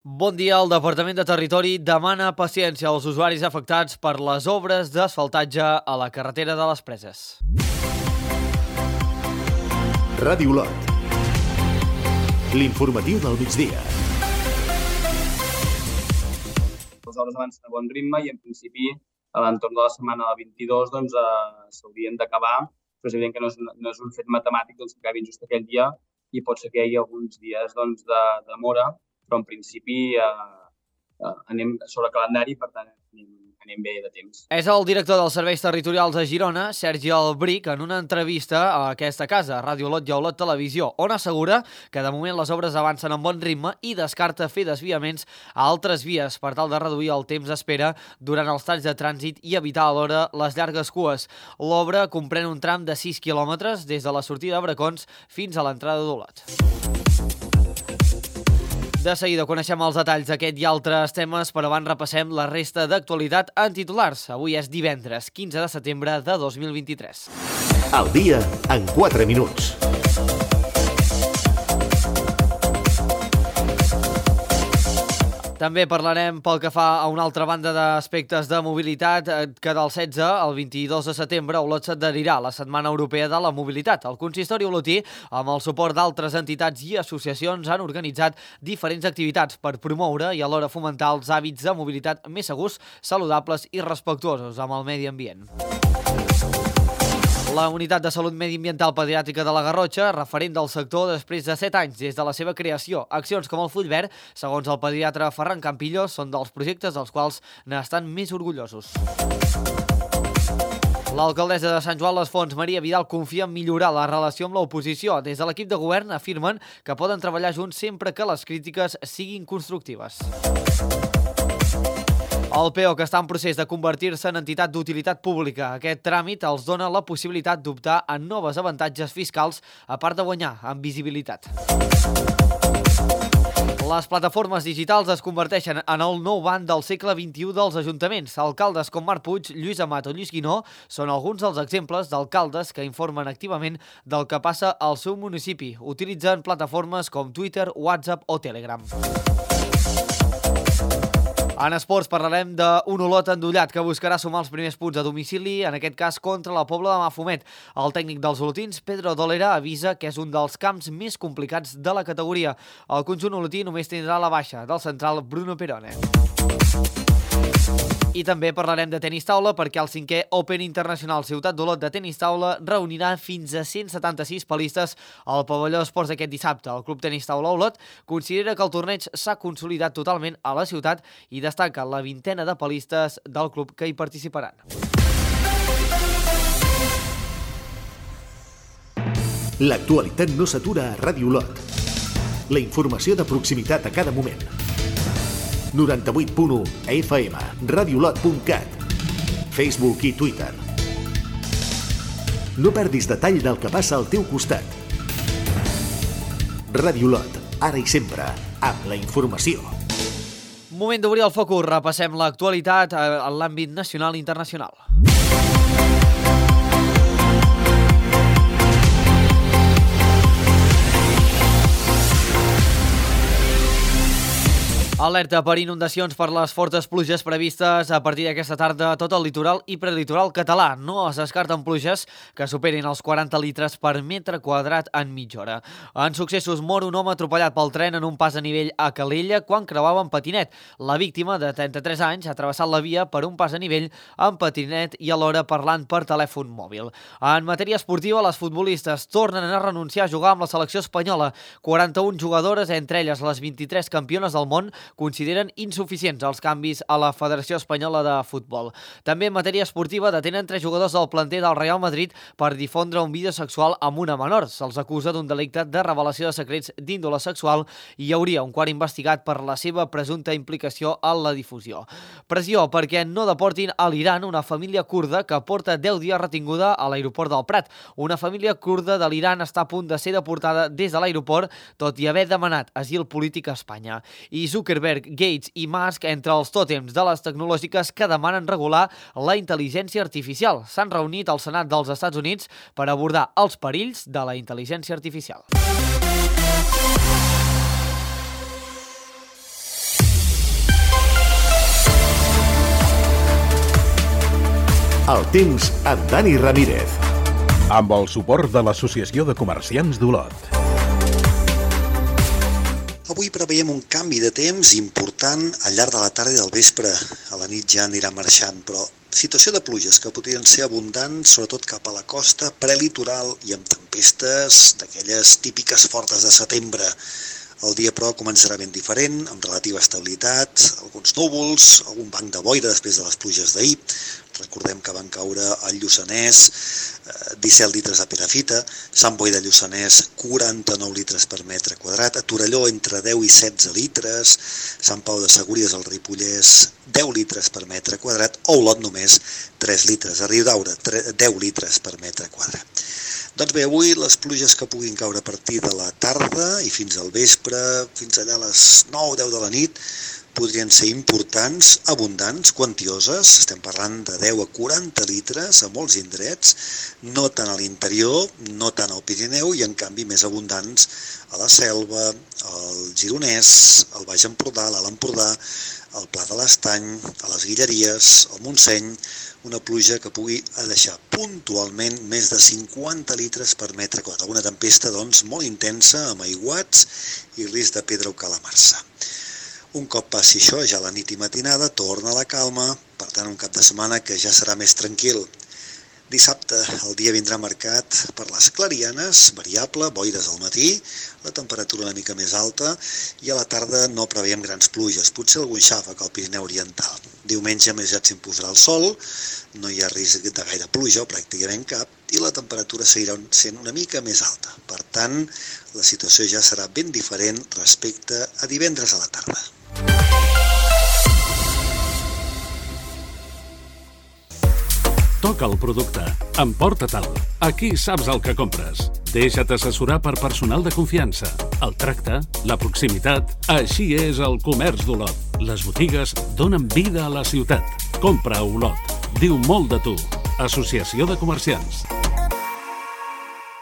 Bon dia. El Departament de Territori demana paciència als usuaris afectats per les obres d'asfaltatge a la carretera de les Preses. Ràdio Lot. L'informatiu del migdia. Les obres avancen a bon ritme i, en principi, a l'entorn de la setmana del 22 s'haurien d'acabar, però és evident que no és un fet matemàtic que acabin just aquell dia i pot ser que hi hagi alguns dies de demora, però en principi anem sobre calendari, per tant anem bé de temps. És el director dels Serveis Territorials a Girona, Sergi Albric, en una entrevista a aquesta casa, Ràdio Lot i Olot Televisió, on assegura que de moment les obres avancen amb bon ritme i descarta fer desviaments a altres vies per tal de reduir el temps d'espera durant els talls de trànsit i evitar alhora les llargues cues. L'obra comprèn un tram de 6 quilòmetres des de la sortida de Bracons fins a l'entrada d'Olot. De seguida coneixem els detalls d'aquest i altres temes, però abans repassem la resta d'actualitat en titulars. Avui és divendres, 15 de setembre de 2023. El dia en 4 minuts. També parlarem pel que fa a una altra banda d'aspectes de mobilitat, que del 16 al 22 de setembre Olot s'adherirà a la Setmana Europea de la Mobilitat. El consistori olotí, amb el suport d'altres entitats i associacions, han organitzat diferents activitats per promoure i alhora fomentar els hàbits de mobilitat més segurs, saludables i respectuosos amb el medi ambient. La Unitat de Salut Mediambiental Pediàtrica de la Garrotxa, referent del sector després de 7 anys des de la seva creació. Accions com el Full Verd, segons el pediatre Ferran Campillo, són dels projectes dels quals n'estan més orgullosos. L'alcaldessa de Sant Joan les Fonts, Maria Vidal, confia en millorar la relació amb l'oposició. Des de l'equip de govern afirmen que poden treballar junts sempre que les crítiques siguin constructives. El PEO, que està en procés de convertir-se en entitat d'utilitat pública. Aquest tràmit els dona la possibilitat d'optar a noves avantatges fiscals, a part de guanyar en visibilitat. Les plataformes digitals es converteixen en el nou banc del segle XXI dels ajuntaments. Alcaldes com Marc Puig, Lluís Amat o Lluís Guinó són alguns dels exemples d'alcaldes que informen activament del que passa al seu municipi. Utilitzen plataformes com Twitter, WhatsApp o Telegram. En esports parlarem d'un Olot endollat que buscarà sumar els primers punts a domicili, en aquest cas contra la Pobla de Mafumet. El tècnic dels olotins, Pedro Dolera, avisa que és un dels camps més complicats de la categoria. El conjunt olotí només tindrà la baixa del central Bruno Perone. I també parlarem de tenis taula perquè el 5è Open Internacional Ciutat d'Olot de tenis taula reunirà fins a 176 palistes al pavelló d'esports aquest dissabte. El Club Tenis Taula Olot considera que el torneig s'ha consolidat totalment a la ciutat i destaca la 20ena de palistes del club que hi participaran. L'actualitat no s'atura a Ràdio Lot. La informació de proximitat a cada moment. 98.1 FM, radiolot.cat, Facebook i Twitter. No perdis detall del que passa al teu costat. Ràdio Lot, ara i sempre, amb la informació. Moment d'obrir el focus, repassem l'actualitat en l'àmbit nacional i internacional. Alerta per inundacions per les fortes pluges previstes a partir d'aquesta tarda a tot el litoral i prelitoral català. No es descarten pluges que superin els 40 litres per metre quadrat en mitja hora. En successos, mor un home atropellat pel tren en un pas a nivell a Calella quan creuava en patinet. La víctima, de 33 anys, ha travessat la via per un pas a nivell en patinet i alhora parlant per telèfon mòbil. En matèria esportiva, les futbolistes tornen a renunciar a jugar amb la selecció espanyola. 41 jugadores, entre elles les 23 campiones del món, consideren insuficients els canvis a la Federació Espanyola de Futbol. També en matèria esportiva detenen 3 jugadors del planter del Real Madrid per difondre un vídeo sexual amb una menor. Se'ls acusa d'un delicte de revelació de secrets d'índole sexual i hi hauria un quart investigat per la seva presumpta implicació en la difusió. Pressió perquè no deportin a l'Iran una família kurda que porta 10 dies retinguda a l'aeroport del Prat. Una família kurda de l'Iran està a punt de ser deportada des de l'aeroport, tot i haver demanat asil polític a Espanya. I Zuckerberg, Gates i Musk entre els tòtems de les tecnològiques que demanen regular la intel·ligència artificial. S'han reunit al Senat dels Estats Units per abordar els perills de la intel·ligència artificial. El temps amb Dani Ramírez. Amb el suport de l'Associació de Comerciants d'Olot. Avui preveiem un canvi de temps important al llarg de la tarda i del vespre. A la nit ja anirà marxant, però situació de pluges que podrien ser abundants, sobretot cap a la costa prelitoral i amb tempestes d'aquelles típiques fortes de setembre. El dia, però, començarà ben diferent, amb relativa estabilitat, alguns núvols, algun banc de boira després de les pluges d'ahir. Recordem que van caure al Lluçanès 17 litres de perafita, Sant Boi de Lluçanès 49 litres per metre quadrat, a Torelló entre 10 i 16 litres, Sant Pau de Segúries al Ripollès 10 litres per metre quadrat, o Olot només 3 litres, a Riudaura 10 litres per metre quadrat. Doncs bé, avui les pluges que puguin caure a partir de la tarda i fins al vespre, fins allà a les 9-10 de la nit, podrien ser importants, abundants, quantioses. Estem parlant de 10 a 40 litres a molts indrets, no tant a l'interior, no tant al Pirineu, i en canvi més abundants a la Selva, al Gironès, al Baix Empordà, a l'Alt Empordà, al Pla de l'Estany, a les Guilleries, al Montseny, una pluja que pugui deixar puntualment més de 50 litres per metre quadrat. Una tempesta, doncs, molt intensa, amb aiguats i risc de pedra o calamarsa. Un cop passi això, ja la nit i matinada, torna la calma, per tant, un cap de setmana que ja serà més tranquil. Dissabte el dia vindrà marcat per les clarianes, variable, boires al matí, la temperatura una mica més alta i a la tarda no preveiem grans pluges, potser algun xàfec al Pirineu Oriental. Diumenge més ja s'imposarà el sol, no hi ha risc de gaire pluja o pràcticament cap i la temperatura seguirà sent una mica més alta. Per tant, la situació ja serà ben diferent respecte a divendres a la tarda. Toca el producte. Emporta-te'l. Aquí saps el que compres. Deixa't assessorar per personal de confiança. El tracte, la proximitat... Així és el comerç d'Olot. Les botigues donen vida a la ciutat. Compra a Olot. Diu molt de tu. Associació de Comerciants.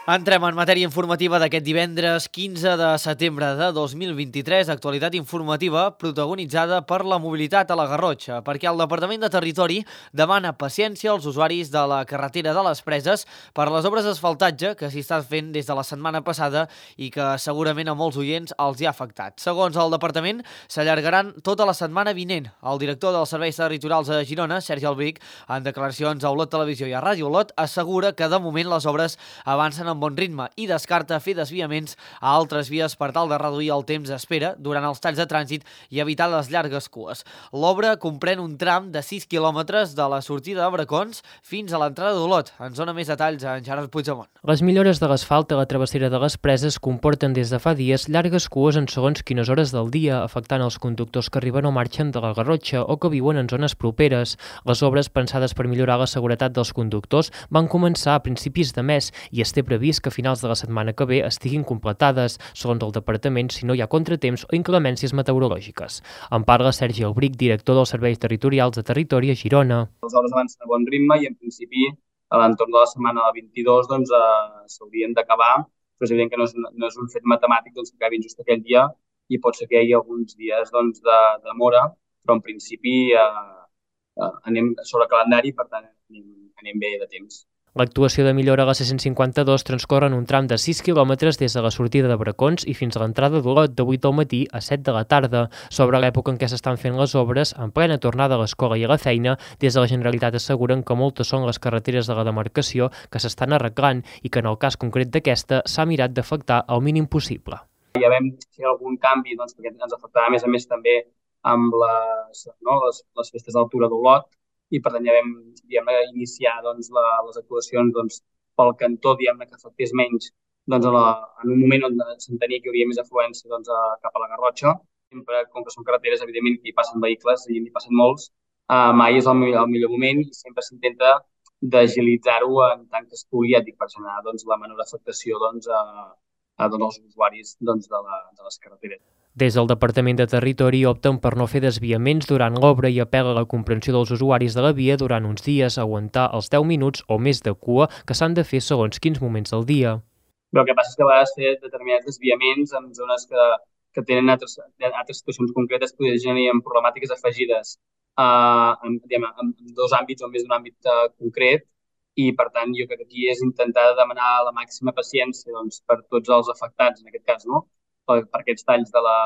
Entrem en matèria informativa d'aquest divendres 15 de setembre de 2023, actualitat informativa protagonitzada per la mobilitat a la Garrotxa, perquè el Departament de Territori demana paciència als usuaris de la carretera de les Preses per les obres d'asfaltatge que s'hi estan fent des de la setmana passada i que segurament a molts oients els hi ha afectat. Segons el Departament, s'allargaran tota la setmana vinent. El director dels Serveis Territorials a Girona, Sergi Albric, en declaracions a Olot Televisió i a Ràdio Olot, assegura que de moment les obres avancen amb bon ritme i descarta fer desviaments a altres vies per tal de reduir el temps d'espera durant els talls de trànsit i evitar les llargues cues. L'obra comprèn un tram de 6 quilòmetres de la sortida de Bracons fins a l'entrada d'Olot. Ens dona més detalls en Gerard Puigdemont. Les millores de l'asfalt a la travessera de les Preses comporten des de fa dies llargues cues en segons quines hores del dia, afectant els conductors que arriben o marxen de la Garrotxa o que viuen en zones properes. Les obres pensades per millorar la seguretat dels conductors van començar a principis de mes i es té previst que a finals de la setmana que ve estiguin completades, segons el departament, si no hi ha contratemps o inclemències meteorològiques. En parla Sergi Albric, director dels Serveis Territorials de Territori a Girona. Les obres avancen a bon ritme i, en principi, a l'entorn de la setmana del 22 s'haurien d'acabar, però és evident que no és un fet matemàtic que acabin just aquell dia i pot ser que hi hagi alguns dies de demora, però en principi anem sobre calendari, per tant anem bé de temps. L'actuació de millora a la C152 transcorre en un tram de 6 quilòmetres des de la sortida de Bracons i fins a l'entrada d'Olot de 8 del matí a 7 de la tarda. Sobre l'època en què s'estan fent les obres, en plena tornada a l'escola i a la feina, des de la Generalitat asseguren que moltes són les carreteres de la demarcació que s'estan arreglant i que en el cas concret d'aquesta s'ha mirat d'afectar el mínim possible. Ja vam fer algun canvi perquè ens afectava a més també amb les festes d'altura d'Olot, i per tant ja vam iniciar les actuacions pel cantó que afectés menys en un moment on s'entenia que hi hauria més afluència cap a la Garrotxa. Sempre, com que són carreteres, evidentment que hi passen vehicles i hi passen molts, mai és el millor moment i sempre s'intenta d'agilitzar-ho en tant que es pugui, per generar la menor afectació als usuaris de les carreteres. Des del Departament de Territori opten per no fer desviaments durant l'obra i apel·la a la comprensió dels usuaris de la via durant uns dies a aguantar els 10 minuts o més de cua que s'han de fer segons quins moments del dia. Però el que passa és que a vegades fer determinats desviaments en zones que tenen altres situacions concretes podrien generar problemàtiques afegides en dos àmbits o més d'un àmbit concret, i per tant jo crec que aquí és intentar demanar la màxima paciència per tots els afectats, en aquest cas, no? per aquests talls de la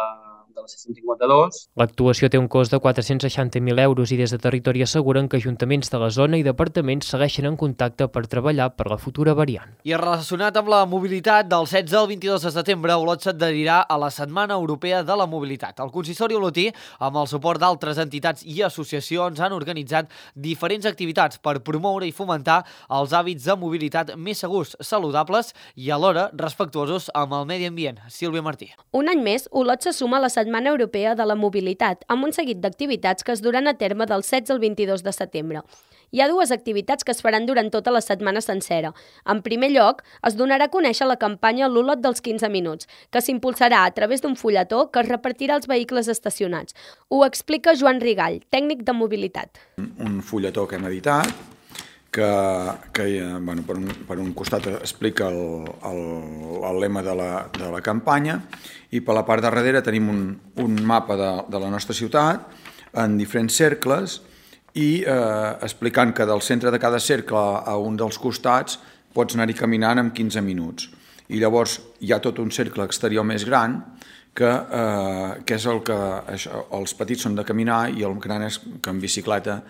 C-152. L'actuació té un cost de 460.000 euros i des de Territori asseguren que ajuntaments de la zona i departaments segueixen en contacte per treballar per la futura variant. I relacionat amb la mobilitat, del 16 al 22 de setembre, Olot s'adherirà a la Setmana Europea de la Mobilitat. El consistori olotí, amb el suport d'altres entitats i associacions, han organitzat diferents activitats per promoure i fomentar els hàbits de mobilitat més segurs, saludables i alhora respectuosos amb el medi ambient. Sílvia Martí. Un any més, Olot se suma a la Setmana Europea de la Mobilitat, amb un seguit d'activitats que es duran a terme del 16 al 22 de setembre. Hi ha dues activitats que es faran durant tota la setmana sencera. En primer lloc, es donarà a conèixer la campanya L'Olot dels 15 minuts, que s'impulsarà a través d'un fulletó que es repartirà als vehicles estacionats. Ho explica Joan Rigall, tècnic de mobilitat. Un fulletó que hem editat, que per un costat explica el lema de la campanya i per la part de darrere tenim un mapa de la nostra ciutat en diferents cercles i explicant que del centre de cada cercle a un dels costats pots anar-hi caminant en 15 minuts. I llavors hi ha tot un cercle exterior més gran que és el que els petits són de caminar i el gran és que en bicicleta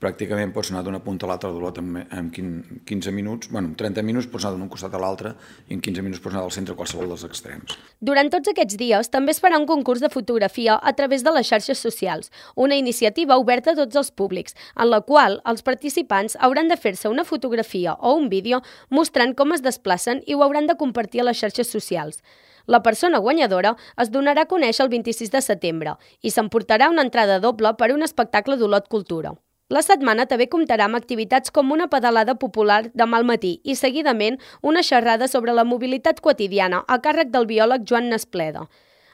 pràcticament pots anar d'una punta a l'altra d'Olot en 15 minuts, en 30 minuts pots anar d'un costat a l'altre i en 15 minuts pots anar del centre a qualsevol dels extrems. Durant tots aquests dies també es farà un concurs de fotografia a través de les xarxes socials, una iniciativa oberta a tots els públics, en la qual els participants hauran de fer-se una fotografia o un vídeo mostrant com es desplacen i ho hauran de compartir a les xarxes socials. La persona guanyadora es donarà a conèixer el 26 de setembre i s'emportarà una entrada doble per a un espectacle d'Olot Cultura. La setmana també comptarà amb activitats com una pedalada popular demà al matí i, seguidament, una xerrada sobre la mobilitat quotidiana a càrrec del biòleg Joan Nespleda.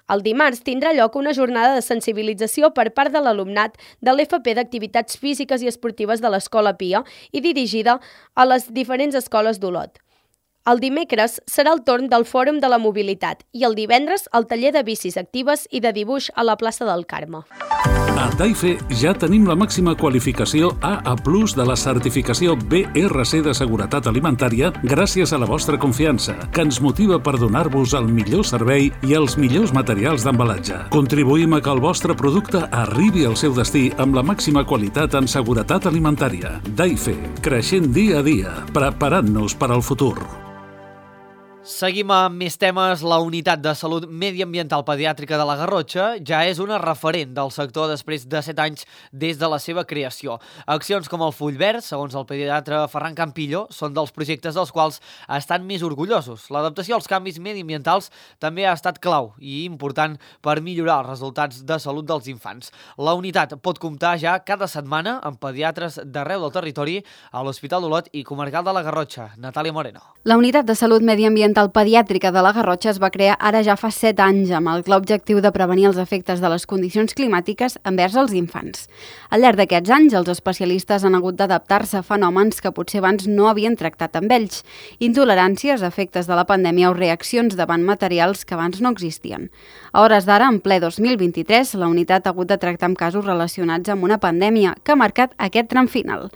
El dimarts tindrà lloc una jornada de sensibilització per part de l'alumnat de l'FP d'Activitats Físiques i Esportives de l'Escola Pia i dirigida a les diferents escoles d'Olot. El dimecres serà el torn del Fòrum de la Mobilitat i el divendres el taller de bicis actives i de dibuix a la plaça del Carme. A Daife ja tenim la màxima qualificació AA+ de la certificació BRC de Seguretat Alimentària gràcies a la vostra confiança, que ens motiva per donar-vos el millor servei i els millors materials d'embalatge. Contribuïm a que el vostre producte arribi al seu destí amb la màxima qualitat en seguretat alimentària. Daife, creixent dia a dia, preparant-nos per al futur. Seguim amb més temes. La Unitat de Salut Mediambiental Pediàtrica de la Garrotxa ja és una referent del sector després de 7 anys des de la seva creació. Accions com el Full Verd, segons el pediatre Ferran Campillo, són dels projectes dels quals estan més orgullosos. L'adaptació als canvis mediambientals també ha estat clau i important per millorar els resultats de salut dels infants. La unitat pot comptar ja cada setmana amb pediatres d'arreu del territori a l'Hospital d'Olot i Comarcal de la Garrotxa. Natàlia Moreno. La Unitat de Salut Mediambiental Pediàtrica de la Garrotxa es va crear ara ja fa 7 anys amb el clar objectiu de prevenir els efectes de les condicions climàtiques envers els infants. Al llarg d'aquests anys, els especialistes han hagut d'adaptar-se a fenòmens que potser abans no havien tractat amb ells. Intoleràncies, efectes de la pandèmia o reaccions davant materials que abans no existien. A hores d'ara, en ple 2023, la unitat ha hagut de tractar amb casos relacionats amb una pandèmia que ha marcat aquest tram final.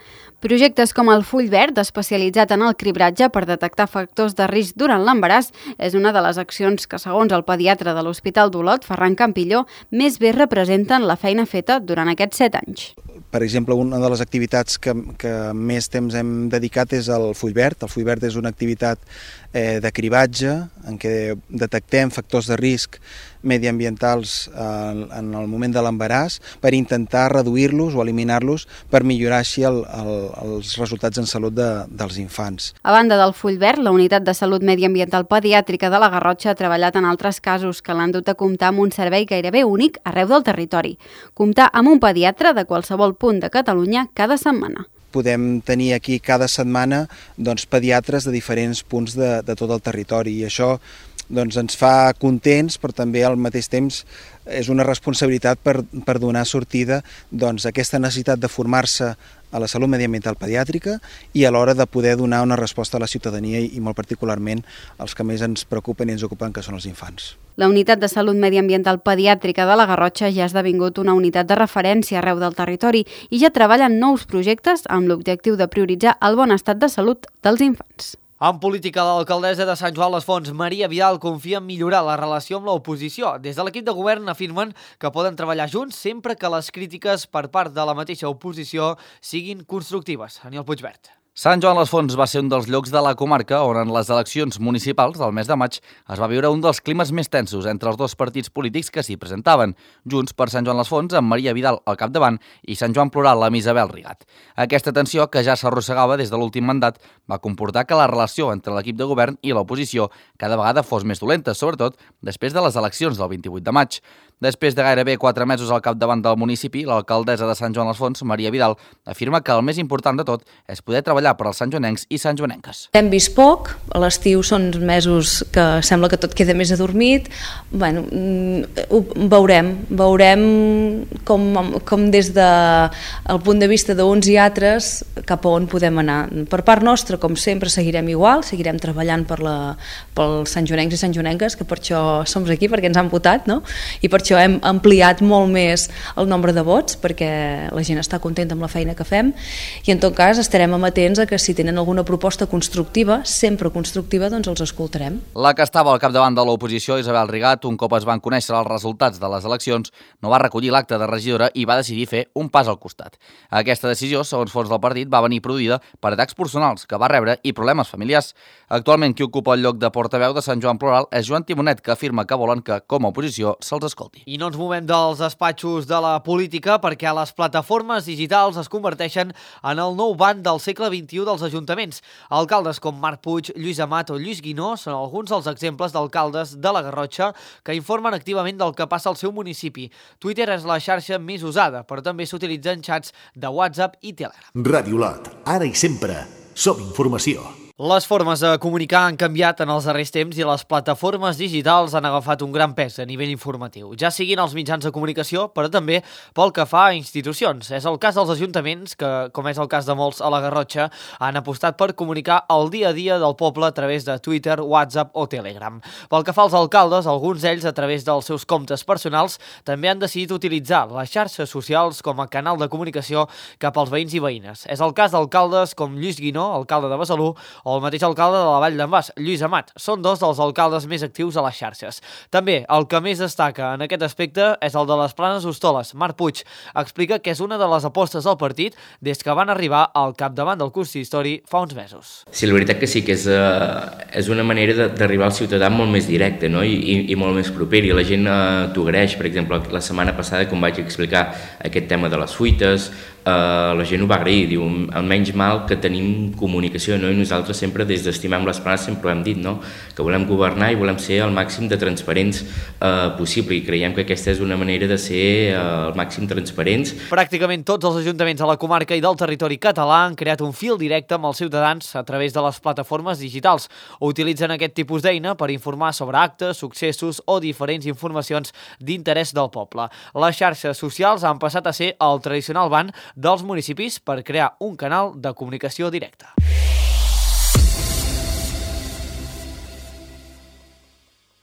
Projectes com el Full Verd, especialitzat en el cribratge per detectar factors de risc durant l'embaràs, és una de les accions que, segons el pediatre de l'Hospital d'Olot, Ferran Campillo, més bé representen la feina feta durant aquests 7 anys. Per exemple, una de les activitats que més temps hem dedicat és el Full Verd. El Full Verd és una activitat de cribatge en què detectem factors de risc mediambientals en el moment de l'embaràs per intentar reduir-los o eliminar-los per millorar així els resultats en salut dels infants. A banda del Full Verd, la Unitat de Salut Mediambiental Pediàtrica de la Garrotxa ha treballat en altres casos que l'han dut a comptar amb un servei gairebé únic arreu del territori. Comptar amb un pediatre de qualsevol punt de Catalunya cada setmana. Podem tenir aquí cada setmana pediatres de diferents punts de tot el territori i això ens fa contents, però també al mateix temps és una responsabilitat per donar sortida a aquesta necessitat de formar-se a la salut mediambiental pediàtrica i a l'hora de poder donar una resposta a la ciutadania i molt particularment als que més ens preocupen i ens ocupen, que són els infants. La Unitat de Salut Mediambiental Pediàtrica de la Garrotxa ja ha esdevingut una unitat de referència arreu del territori i ja treballa en nous projectes amb l'objectiu de prioritzar el bon estat de salut dels infants. En política, l'alcaldessa de Sant Joan les Fonts, Maria Vidal, confia en millorar la relació amb l'oposició. Des de l'equip de govern afirmen que poden treballar junts sempre que les crítiques per part de la mateixa oposició siguin constructives. Aniol Puigvert. Sant Joan les Fonts va ser un dels llocs de la comarca on en les eleccions municipals del mes de maig es va viure un dels climes més tensos entre els dos partits polítics que s'hi presentaven, Junts per Sant Joan les Fonts amb Maria Vidal al capdavant i Sant Joan Plural amb Isabel Rigat. Aquesta tensió, que ja s'arrossegava des de l'últim mandat, va comportar que la relació entre l'equip de govern i l'oposició cada vegada fos més dolenta, sobretot després de les eleccions del 28 de maig. Després de gairebé 4 mesos al capdavant del municipi, l'alcaldessa de Sant Joan les Fonts, Maria Vidal, afirma que el més important de tot és poder treballar per als santjoanencs i santjoanenques. Hem vist poc, a l'estiu són mesos que sembla que tot queda més adormit. Bueno, veurem com des del punt de vista d'uns i altres cap a on podem anar. Per part nostra, com sempre, seguirem igual, seguirem treballant pels santjoanencs i santjoanenques, que per això som aquí, perquè ens han votat, no? I per això hem ampliat molt més el nombre de vots, perquè la gent està contenta amb la feina que fem, i en tot cas estarem amatents a que si tenen alguna proposta constructiva, sempre constructiva, doncs els escoltarem. La que estava al capdavant de l'oposició, Isabel Rigat, un cop es van conèixer els resultats de les eleccions, no va recollir l'acte de regidora i va decidir fer un pas al costat. Aquesta decisió, segons fons del partit, va venir produïda per atacs personals que va rebre i problemes familiars. Actualment, qui ocupa el lloc de portaveu de Sant Joan Plural és Joan Timonet, que afirma que volen que, com a oposició, se'ls escolti. I no ens movem dels despatxos de la política perquè les plataformes digitals es converteixen en el nou banc del segle XXI dels ajuntaments. Alcaldes com Marc Puig, Lluís Amat o Lluís Guinó són alguns dels exemples d'alcaldes de la Garrotxa que informen activament del que passa al seu municipi. Twitter és la xarxa més usada, però també s'utilitzen xats de WhatsApp i Telegram. Ràdio Lot, ara i sempre, som informació. Les formes de comunicar han canviat en els darrers temps i les plataformes digitals han agafat un gran pes a nivell informatiu, ja siguin els mitjans de comunicació, però també pel que fa a institucions. És el cas dels ajuntaments que, com és el cas de molts a la Garrotxa, han apostat per comunicar el dia a dia del poble a través de Twitter, WhatsApp o Telegram. Pel que fa als alcaldes, alguns d'ells, a través dels seus comptes personals, també han decidit utilitzar les xarxes socials com a canal de comunicació cap als veïns i veïnes. És el cas d'alcaldes com Lluís Guinó, alcalde de Besalú, o el mateix alcalde de la Vall d'en Bas, Lluís Amat. Són dos dels alcaldes més actius a les xarxes. També el que més destaca en aquest aspecte és el de les Planes Hostoles. Marc Puig explica que és una de les apostes del partit des que van arribar al capdavant del consistori fa uns mesos. Sí, la veritat que sí que és una manera d'arribar al ciutadà molt més directe, no? I molt més proper, i la gent t'ho agraeix. Per exemple, la setmana passada, com vaig explicar aquest tema de les fuites, la gent ho va agrair, diu, almenys mal que tenim comunicació, no? I nosaltres sempre des d'Estimem les Planes sempre ho hem dit, no? Que volem governar i volem ser el màxim de transparents possible, i creiem que aquesta és una manera de ser el màxim transparents. Pràcticament tots els ajuntaments a la comarca i del territori català han creat un fil directe amb els ciutadans a través de les plataformes digitals. Utilitzen aquest tipus d'eina per informar sobre actes, successos o diferents informacions d'interès del poble. Les xarxes socials han passat a ser el tradicional banc dels municipis per crear un canal de comunicació directa.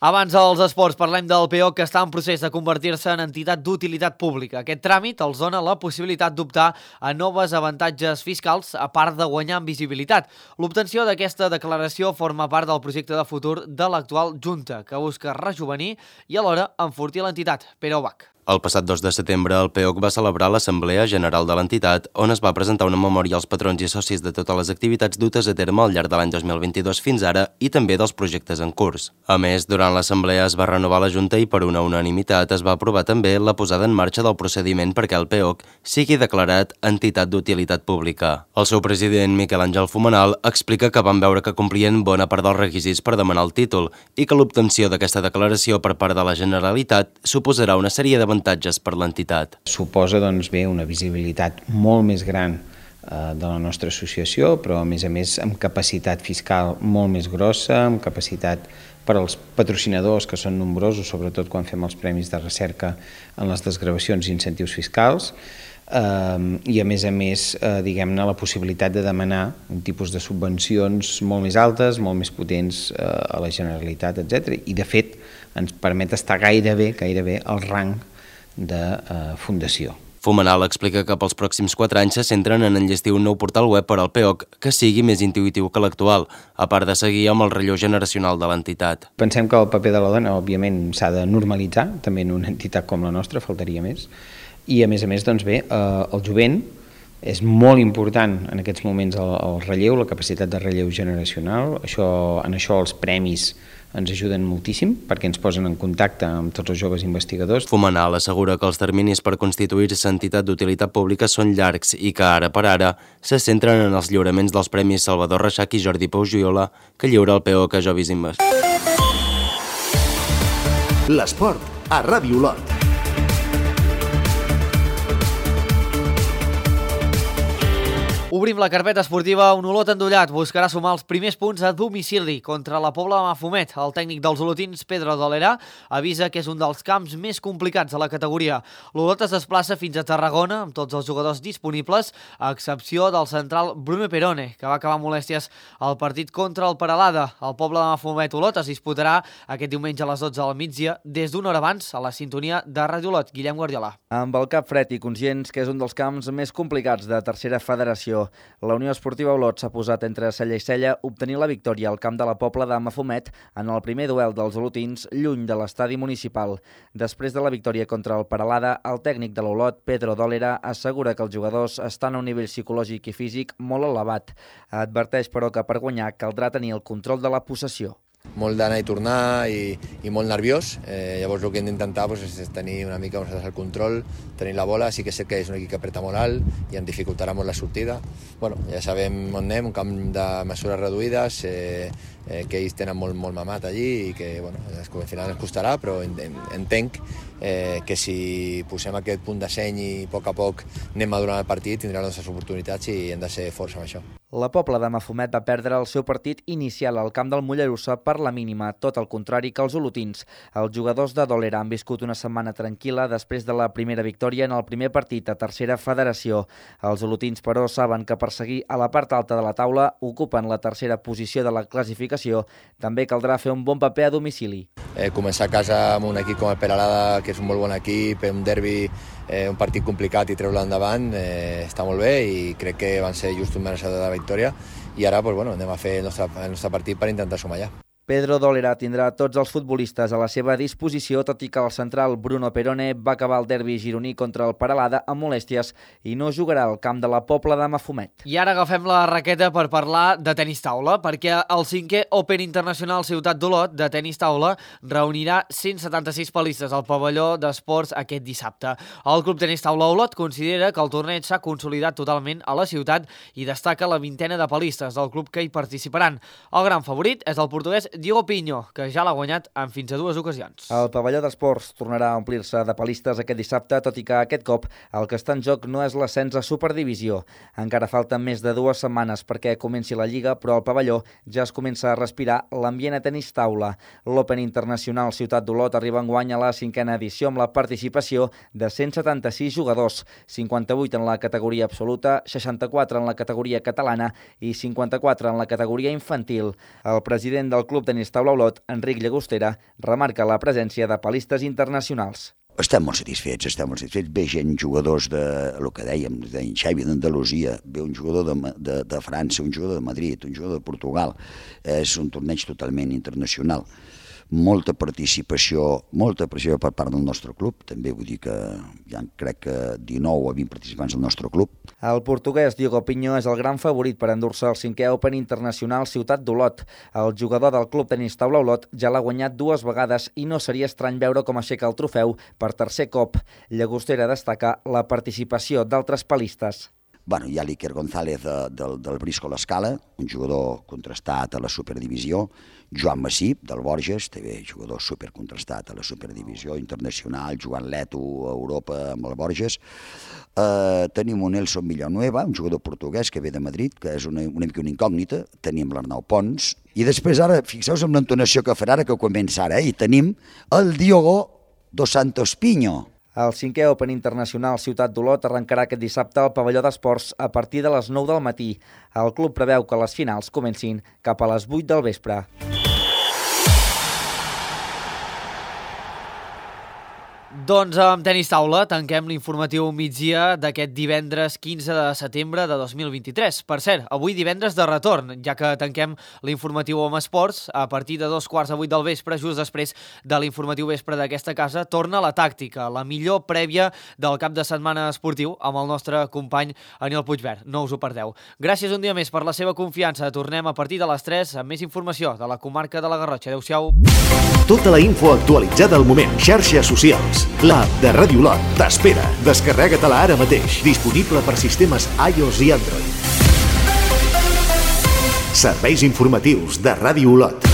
Abans dels esports parlem del PEOC, que està en procés de convertir-se en entitat d'utilitat pública. Aquest tràmit els dona la possibilitat d'optar a noves avantatges fiscals a part de guanyar en visibilitat. L'obtenció d'aquesta declaració forma part del projecte de futur de l'actual Junta, que busca rejovenir i alhora enfortir l'entitat. Pere Ubach. El passat 2 de setembre, el PEOC va celebrar l'Assemblea General de l'entitat, on es va presentar una memòria als patrons i socis de totes les activitats dutes a terme al llarg de l'any 2022 fins ara i també dels projectes en curs. A més, durant l'Assemblea es va renovar la Junta i per una unanimitat es va aprovar també la posada en marxa del procediment perquè el PEOC sigui declarat entitat d'utilitat pública. El seu president, Miquel Àngel Fumenal, explica que van veure que complien bona part dels requisits per demanar el títol i que l'obtenció d'aquesta declaració per part de la Generalitat suposarà una sèrie d'avantatges per l'entitat. Suposa una visibilitat molt més gran de la nostra associació, però a més amb capacitat fiscal molt més grossa, amb capacitat per als patrocinadors, que són nombrosos, sobretot quan fem els premis de recerca en les desgravacions i incentius fiscals, i a més, diguem-ne, la possibilitat de demanar un tipus de subvencions molt més altes, molt més potents a la Generalitat, etc. I de fet ens permet estar gairebé al rang de fundació. Fumenal explica que pels pròxims 4 anys se centren en enllestir un nou portal web per al PEOC que sigui més intuïtiu que l'actual, a part de seguir amb el relleu generacional de l'entitat. Pensem que el paper de la dona, òbviament, s'ha de normalitzar, també en una entitat com la nostra, faltaria més. I a més, doncs bé, el jovent és molt important en aquests moments el relleu, la capacitat de relleu generacional. En això els premis ens ajuden moltíssim perquè ens posen en contacte amb tots els joves investigadors. Fumenal assegura que els terminis per constituir-se entitat d'utilitat pública són llargs i que ara per ara se centren en els lliuraments dels premis Salvador Reixac i Jordi Pau Joiola que lliura el PEOC a Jovis Invest. L'esport a Ràdio Olot. Obrim la carpeta esportiva. Un Olot endollat buscarà sumar els primers punts a domicili contra la Pobla de Mafumet. El tècnic dels olotins, Pedro Dolera, avisa que és un dels camps més complicats de la categoria. L'Olot es desplaça fins a Tarragona amb tots els jugadors disponibles, a excepció del central Bruno Perone, que va acabar molèsties al partit contra el Peralada. El Pobla de Mafumet-Olot es disputarà aquest diumenge a les 12 del migdia des d'una hora abans a la sintonia de Ràdio Olot. Guillem Guardiola. Amb el cap fred i conscients que és un dels camps més complicats de tercera federació, la Unió Esportiva Olot s'ha posat entre cella i cella obtenir la victòria al camp de la Pobla de Mafumet en el primer duel dels olotins lluny de l'estadi municipal. Després de la victòria contra el Peralada, el tècnic de l'Olot, Pedro Dolera, assegura que els jugadors estan a un nivell psicològic i físic molt elevat. Adverteix, però, que per guanyar caldrà tenir el control de la possessió. Molt d'anar i tornar i molt nerviós. Llavors el que hem d'intentar és tenir una mica el control, tenir la bola. Sí que sé que és un equip que apreta molt alt i ens dificultarà molt la sortida. Ja sabem on anem, un camp de mesures reduïdes, que ells tenen molt mamat allí i que al final ens costarà, però entenc que si posem aquest punt de seny i a poc anem madurant el partit, tindrà les nostres oportunitats i hem de ser forts amb això. La Pobla de Mafumet va perdre el seu partit inicial al camp del Mollerussa per la mínima, tot el contrari que els olotins. Els jugadors de Dolera han viscut una setmana tranquil·la després de la primera victòria en el primer partit a tercera federació. Els olotins, però, saben que per seguir a la part alta de la taula ocupen la tercera posició de la classificació. També caldrà fer un bon paper a domicili. Començar a casa amb un equip com el Peralada, que és un molt bon equip, un derbi, un partit complicat i treure-lo endavant, està molt bé i crec que van ser just un mereixedor de la victòria i ara anem a fer el nostre partit per intentar sumar ja. Pedro Dolera tindrà tots els futbolistes a la seva disposició, tot i que el central Bruno Perone va acabar el derbi gironí contra el Peralada amb molèsties i no jugarà al camp de la Pobla de Mafumet. I ara agafem la raqueta per parlar de tenis taula, perquè el 5è Open Internacional Ciutat d'Olot de tenis taula reunirà 176 palistes al pavelló d'esports aquest dissabte. El Club Tenis Taula Olot considera que el torneig s'ha consolidat totalment a la ciutat i destaca la 20ena de palistes del club que hi participaran. El gran favorit és el portuguès Diogo Pinho, que ja l'ha guanyat en fins a 2 ocasions. El pavelló d'esports tornarà a omplir-se de palistes aquest dissabte, tot i que aquest cop el que està en joc no és l'ascens a Superdivisió. Encara falten més de 2 setmanes perquè comenci la Lliga, però al pavelló ja es comença a respirar l'ambient a tenis taula. L'Open Internacional Ciutat d'Olot arriba enguany a la 5a edició amb la participació de 176 jugadors, 58 en la categoria absoluta, 64 en la categoria catalana i 54 en la categoria infantil. El president del Club Tenis Taula Olot, Enric Llagostera, remarca la presència de palistes internacionals. Estem molt satisfets. Ve gent, jugadors de, el que dèiem, d'en Xavi d'Andalusia, ve un jugador de França, un jugador de Madrid, un jugador de Portugal. És un torneig totalment internacional. Molta participació per part del nostre club, també vull dir que ja crec que 19 o 20 participants del nostre club. El portuguès Diogo Pinho és el gran favorit per endur-se el 5è Open Internacional Ciutat d'Olot. El jugador del Club Tenis Taula Olot ja l'ha guanyat 2 vegades i no seria estrany veure com aixeca el trofeu per tercer cop. Llagostera destaca la participació d'altres palistes. Hi ha l'Iker González del Brisco l'Escala, un jugador contrastat a la Superdivisió, Joan Massip, del Borges, també jugador supercontrastat a la Superdivisió internacional, jugant l'Eto a Europa amb el Borges. Tenim un Nelson Villanueva, un jugador portuguès que ve de Madrid, que és una mica una incògnita. Tenim l'Arnau Pons. I després ara, fixeu-vos en l'entonació que farà ara, que comença ara, i tenim el Diogo dos Santos Pinho. El 5è Open Internacional Ciutat d'Olot arrencarà aquest dissabte al pavelló d'esports a partir de les 9 del matí. El club preveu que les finals comencin cap a les 8 del vespre. Doncs amb tenis taula tanquem l'informatiu migdia d'aquest divendres 15 de setembre de 2023. Per cert, avui divendres de retorn, ja que tanquem l'informatiu amb esports, a partir de 7:15 del vespre, just després de l'informatiu vespre d'aquesta casa, torna la tàctica, la millor prèvia del cap de setmana esportiu amb el nostre company Aniol Puigverd. No us ho perdeu. Gràcies un dia més per la seva confiança. Tornem a partir de les 3 amb més informació de la comarca de la Garrotxa. Adéu-siau. Tota la info actualitzada al moment. Xarxes socials. L'app de Ràdio Olot t'espera. Descarrega-te-la ara mateix. Disponible per sistemes iOS i Android. Serveis informatius de Ràdio Olot.